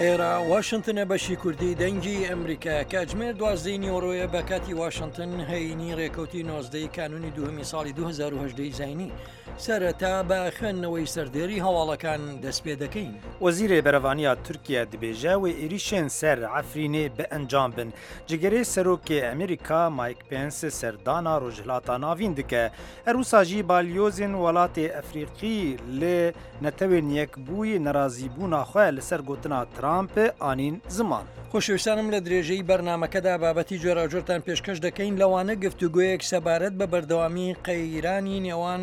ئێرە واشنتنە بەشی کوردی دەنگی ئەمریکا کاتژمێر دوازدەی نیوەڕۆیە بە کاتی واشنتن هەینی ڕێکەوتی نۆزدەی کانونی دووهەمی ساڵی 2010 زینی سەرەتا بە خوێندنەوەی سەردێری هەواڵەکان دەست پێ دەکەین. وەزیرê Berevaniya Tirkiye dibêje wê êrîşên ser Efrînê bi encam bin. Cigirê Serokê Amerîka Mike Pence serdana Rojhilata Navîn dike. Her wisa jî balyozên welatê Efrîqî li Netewên Yekbûyî nerazîbûna xwe li ser gotina Trump anîn ziman. خۆشەویستانم لە درێژەی بەرنامەکەدا بابەتی جۆراوجۆرتان پێشکەش دەکەین لەوانە گفتوگۆیەک سەبارەت بە بەردەوامی قەیرانی نێوان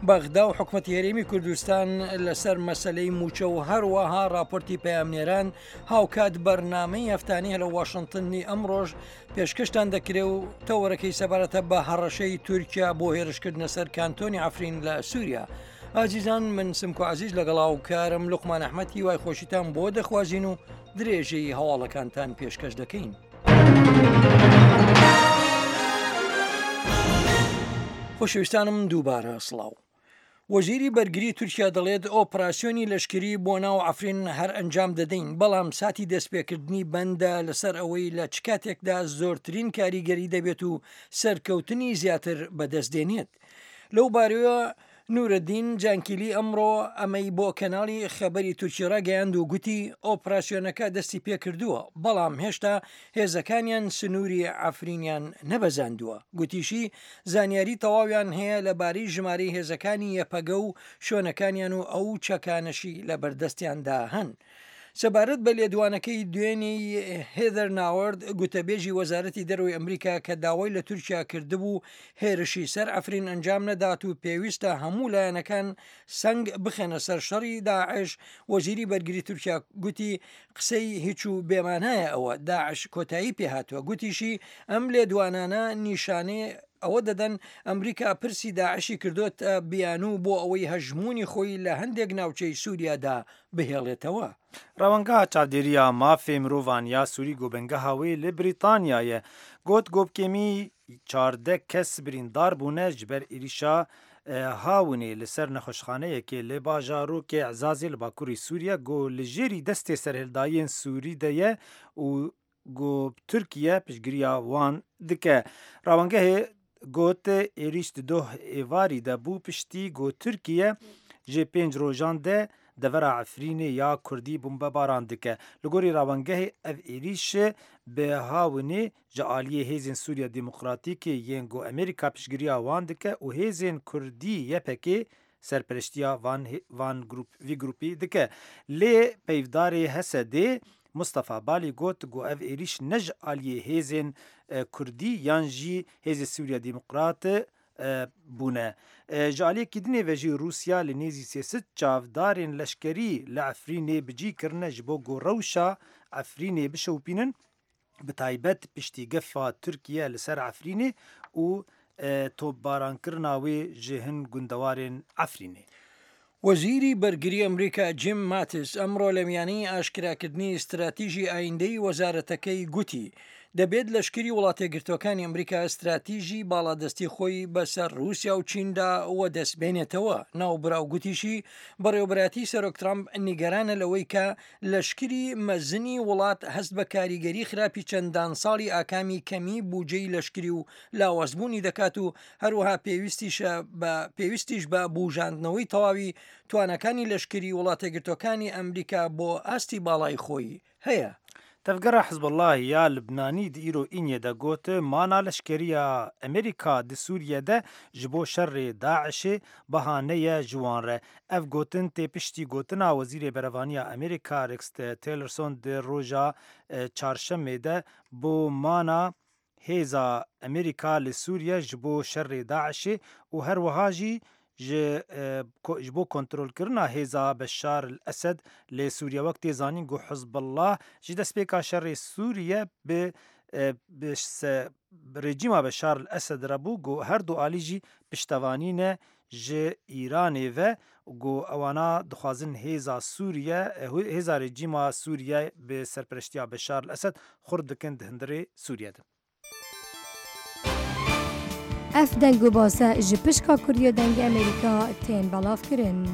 بەغدا و حکومەتی هەرێمی کوردستان لەسەر مەسەلەی مووچە و هەروەها راپۆرتی پەیامنێران هاوکات بەرنامەی هەفتانی هەلە واشنتنی ئەمڕۆژ پێشکەشتان دەکرێ و تەوەرەکەی سەبارەتە بە هەڕەشەی تورکیا بۆ هێرشکردنە سەر کانتۆنی عەفرین لە سووریا. ئازیزان من سمکۆ عزیز لەگەڵ هاوکارم لوقمان ئەحمەد هیوای خۆشیتان بۆ دەخوازین و درێژەی هەواڵەکانتان پێشکەش دەکەین. خۆشەویستانم دووبارە سڵاو. وەزیری بەرگری تورکیا دەڵێت ئۆپراسیۆنی لەشکری بۆ ناو عەفرین هەر ئەنجام دەدەین، بەڵام ساتی دەستپێکردنی بەندە لەسەر ئەوەی لە چ کاتێکدا زۆرترین کاریگەری دەبێت و سەرکەوتنی زیاتر بەدەست دێنێت. لەو بارەیەوە نورەدین جانکیلی ئەمڕۆ ئەمەی بۆ کەناڵی خەبەری تورکی ڕاگەیاند و گوتی ئۆپراسیۆنەکە دەستی پێکردووە، بەڵام هێشتا هێزەکانیان سنووری عەفرینیان نەبەزاندووە. گوتیشی زانیاری تەواویان هەیە لەبارەی ژمارەی هێزەکانی یەپەگە و شوێنەکانیان و ئەو چەکانەشی لەبەردەستیاندا هەن. سەبارەت بە لێدوانەکەی دوێنێی هێدەر ناوەرد، گوتەبێژی وەزارەتی دەرەوەی ئەمریکا کە داوای لە تورکیا کردبوو هێرشی سەر عەفرین ئەنجام نەدات و پێویستە هەموو لایەنەکان سەنگ بخەنە سەر شەڕی داعش، وەزیری بەرگری تورکیا گوتی قسەی هیچ و بێمانایە ئەوە، داعش کۆتایی پێهاتووە. گوتیشی ئەم لێدوانانە نیشانەی ئەوە دەدەن ئەمریکا پرسی داعشی کردۆتە بیانوو بۆ ئەوەی هەژموونی خۆی لە هەندێک ناوچەی سووریادا بهێڵێتەوە. Rewangeha Çavdêriya Mafê Mirovan ya Sûrî ku bingeha wê li Brîtanya ye, got ku bi kêmî 14 kes birîndar bûne ji ber êrîşa hawinê li ser nexweşxaneyekê li bajarokê Ezazê li bakurê Sûriye ku li jêrî destê serhildayên Sûrî de ye û ku Tirkiye piştgiriya wan dike. Rawangehê got êrîş di doh êvarî de bû piştî ku Tirkiye ji pênc rojan de devera Efrînê ya Kurdî bombebaran dike. Li gorî rawangehê ev êrîş bi hawinê ji aliyê Hêzên Sûriya Demokratîkê yên ku Amerîka piştgiriya wan dike û hêzên Kurdî YPK'ê serpereştiya van van grûp vî grûpî dike. Lê peyvdarê HSD'ê Mustafa Balî got ku ev êrîş ne ji aliyê hêzên Kurdî yan jî hêzê Sûriya Demokrat bûne. Ji aliyekî dinê ve jî Rûsya li nêzî 300 çavdarên leşkerî li Efrînê bi cî kirine ji bo ku rewşa Efrînê bişewpînin bi taybet piştî gefa Tirkiye li ser Efrînê û topbarankirina wê ji hin gundewarên Efrînê. وەزیری بەرگری ئەمریکا جیم ماتیس ئەمڕۆ لە میانەی ئاشکراکردنی ستراتیژی ئایندەی وەزارەتەکەی گوتی، دەبێت لەشکری وڵاتەیەکگرتووەکانی ئەمریکا ستراتیژی باڵادەستی خۆی بەسەر رووسیا و چیندا وەدەستبێنێتەوە. ناوبراو گوتیشی، بەڕێوەبەرایەتی سەرۆک ترامپ نیگەرانە لەوەی کە لەشکری مەزنی وڵات هەست بە کاریگەری خراپی چەندان ساڵی ئاکامی کەمی بوجەی لەشکری و لاوازبوونی دەکات و هەروەها پێویستیشە بە پێویستیش بە بوژاندنەوەی تەواوی تواناکانی لەشکری وڵاتەیەکگرتووەکانی ئەمریکا بۆ ئاستی باڵای خۆی هەیە. Tevgera Hizbullahê ya Libnanî di îro Înê de got, Mana leşkeriya Amerîka di Sûriye de ji bo şerê DAIŞ'ê bihaneye ji wan re. Ev gotin tê piştî gotina Wezîrê Berevaniya Amerîka Rex Tillerson di roja Çarşemê de bo mana hêza Amerîka li Sûriye ji bo şerê DAIŞ'ê û her wiha jî ji ji bo kontrolkirina hêza Beşar El Esed li Sûriye wek tê zanîn ku Hizbullah ji destpêka şerê Sûriye bi bi rejîma Beşar El Esed re bû ku her du alî jî piştevanî ne ji Îranê ve ku ewana dixwazin hêza Sûriye hêza rejîma Sûriye bi serpereştiya Beşar El Esed xurt bikin di hundirê Sûriye de. Ev deng û base ji pişka Kurdiya Dengê Amerîka tên belavkirin.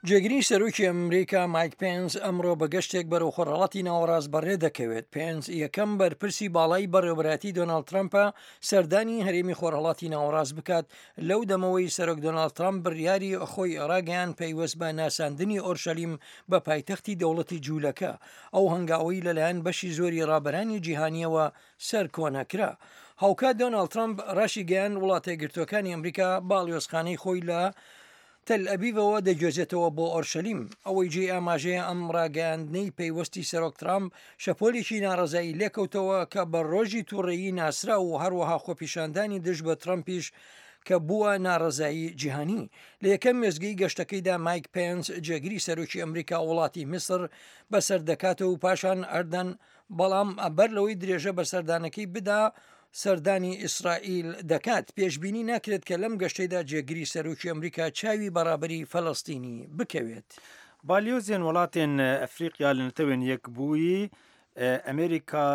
جێگری سەرۆکی ئەمریکا مایک پێنس ئەمڕۆ بە گەشتێک بەرەو خۆرهەڵاتی ناوەڕاست بەڕێ دەکەوێت. پێنس یەکەم بەرپرسی باڵای بەڕێوەبەرایەتی دۆناڵد ترەمپە سەردانی هەرێمی خۆرهەڵاتی ناوەڕاست بکات لەو دەمەوەی سەرۆک دۆناڵد ترەمپ بڕیاری خۆی ڕاگەیاند پەیوەست بە ناساندنی ئۆرشەلیم بە پایتەختی دەوڵەتی جوولەکە، ئەو هەنگاوەی لەلایەن بەشی زۆری ڕابەرانی جیهانییەوە سەرکۆنە کرا. هاوکات دۆناڵد ترەمپ ڕاشیگەیاند وڵاتەیەکگرتووەکانی ئەمریکا باڵیۆزخانەی خۆی لە تەلئەبیبەوە دەگوێزێتەوە بۆ ئۆرشەلیم. ئەوەی جێی ئاماژەیە ئەم ڕاگەیاندنەی پەیوەستی سەرۆک ترامپ شەپۆلێکی ناڕەزایی لێکەوتەوە کە بە ڕۆژی توڕەیی ناسرا و هەروەها خۆپیشاندانی دژ بە ترەمپیش کە بووە ناڕەزایی جیهانی. لە یەکەم وێستگەی گەشتەکەیدا مایک پێنس جێگری سەرۆکی ئەمریکا وڵاتی میسر بەسەر دەکاتەوە و پاشان ئەردەن بەڵام بەر لەوەی درێژە بە سەردانەکەی بدا سەردانی ئیسرائیل دەکات، پێشبینی ناکرێت کە لەم گەشتەیدا جێگری سەرۆکی ئەمریکا چاوی بە ڕابەری فەلەستینی بکەوێت. بالیۆزێن وڵاتێن ئەفریقیا لە نەتەوێن یەکبوویی ئەمریکا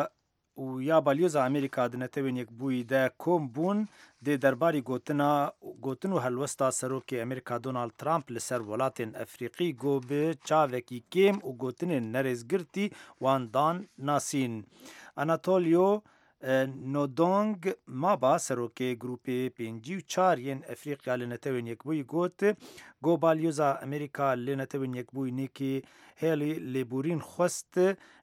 و یا بالیۆزا ئەمریکا di netewên yekbûyî de kom bûn dê derbarî gotina gotin û helwesta serokê Amerîka Donald Trump li ser welatên Efrîqî got bi çavekî kêm û gotinên nerêzgirtî wan dan nasîn. Anatolio Nodong Maba serokê grûpê 54 yên Efrîqya li Netewên Yekbûyî got, Got balyoza Amerîka li Netewên Yekbûyî Nikki Haley lêborîn xwest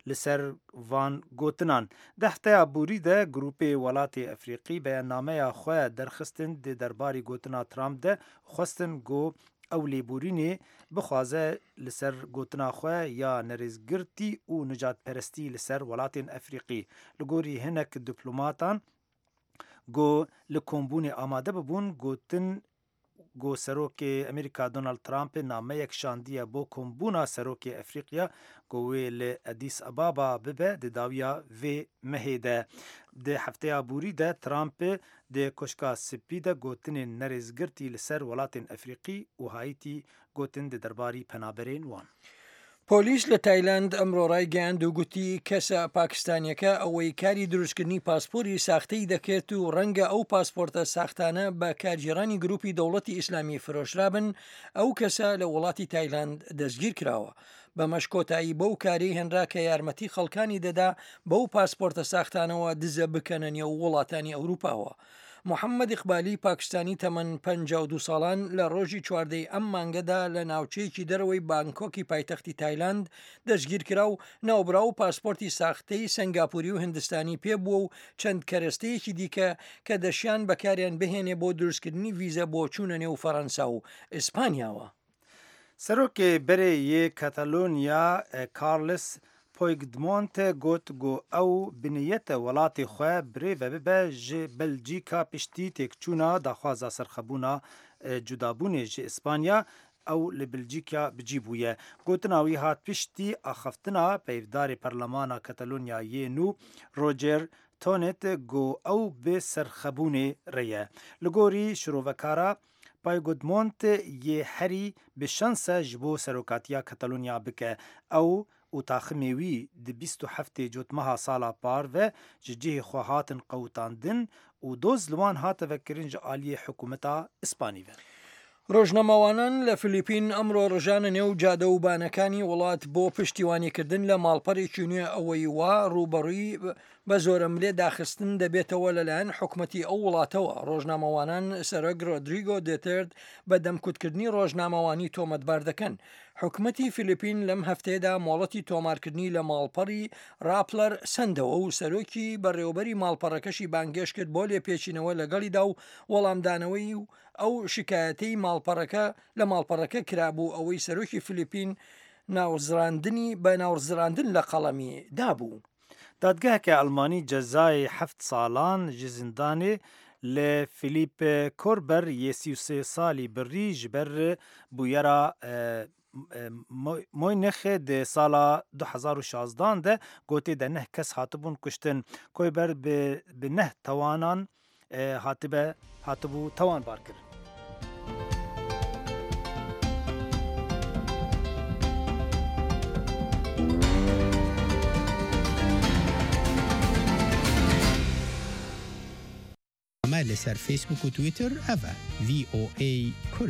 li ser van gotinan. Di hefteya borî de grûpê welatê Efrîqî beyannameya xwe derxistin di derbarî gotina Trump de xwestin ku ew lêborînê bixwaze li ser gotina xwe ya nerêzgirtî û nijadperestî li ser welatên Efrîqî. Li gorî hinek diplomatan ku li kombûnê amade bibûn gotin ku Serokê Amerîka Donald Trump nameyek şandiye bo kombûna Serokê Efrîqya ku wê li Addis Ababa bibe di dawiya vê mehê de. Di hefteya borî de Trump di Koşka Spî de gotinên nerêzgirtî li ser welatên Efrîqî û Haîtî gotin di derbarî penaberên wan. پۆلیس لە تایلاند ئەمڕۆ ڕایگەیاند و گوتی کەسە پاکستانیەکە ئەوەی کاری دروستکردنی پاسپۆری ساختەی دەکرد و ڕەنگە ئەو پاسپۆرتە ساختانە بە کارگێڕانی گروپی دەوڵەتی ئیسلامی فرۆشرابن، ئەو کەسە لە وڵاتی تایلاند دەستگیرکراوە. بەمەش کۆتایی بەو کارەی هێنرا کە یارمەتی خەڵکانی دەدا بەو پاسپۆرتە ساختانەوە دزە بکەنە نێو وڵاتانی ئەوروپاوە. محەممەد ئیقبالی پاکستانی تەمەن 52 ساڵان لە ڕۆژی چواردەی ئەم مانگەدا لە ناوچەیەکی دەرەوەی بانکۆکی پایتەختی تایلاند دەستگیرکرا و ناوبراو پاسپۆرتی ساختەی سەنگاپوری و هندستانی پێ بووە و چەند کەرەستەیەکی دیکە کە دەشیان بەکاریان بهێنێ بۆ دروستکردنی ڤیزە بۆ چوونە نێو فەرەنسا و ئیسپانیاوە. Serokê berê yê Katalonya Carles Puigdemont got ku ew bi niyet e welatê xwe birêve bibe ji Belcîka piştî têkçûna daxwaza serxebûna cudabûnê ji Îspanya ew li Belcîka bi cî bûye. Gotina wî hat piştî axaftina peyvdarê Perlemana Katalonya yê nû Roger Tonet ku ew bi serxebûnê re ye. Li gorî şirovekara Puigdemont yê herî bi şans e ji bo serokatiya Katalonya bike. Ew û taximê wî di 27 cotmeha sala par ve ji cihê xwe hatin qewitandin û doz li wan hate vekirin ji aliyê hikûmeta Îspanî ve. ڕۆژنامەوانان لە فلیپین ئەمڕۆ ڕژانە نێو جادە و بانەکانی وڵات بۆ پشتیوانیکردن لە ماڵپەڕێکی نوێ ئەوەی وا ڕووبەڕووی بە زۆرەملێ داخستن دەبێتەوە لەلایەن حکومەتی ئەو وڵاتەوە. ڕۆژنامەوانان سەرۆک ڕۆدریگۆ دێتێرت بە دەمکوتکردنی ڕۆژنامەوانی تۆمەتبار دەکەن. حکومەتی فلیپین لەم هەفتەیەدا مۆڵەتی تۆمارکردنی لە ماڵپەڕی ڕاپلەر سەندەوە و سەرۆکی بەڕێوەبەری ماڵپەڕەکەشی بانگێشت کرد بۆ لێپێچینەوە لەگەڵیدا و وەڵامدانەوەی و ئەو شکایەتەی ماڵپەڕەکە لە ماڵپەڕەکە کرابوو ئەوەی سەرۆکی فلیپین ناوزڕاندنی بە ناوزڕاندن لە قەڵەمی دابوو. دادگeheke Elmanî cezayê heft salan ji zindanê li Philipp Korber yê 33 salî birî ji ber bûyera Moynixê di sala 2016 de gotê de neh kes hatibûn kuştin. Koyber bi neh tawanan hatibe hatibû tawanbarkirin. لەسەر فەیسبووک و تویتەر ئەڤە VOA Kurdi.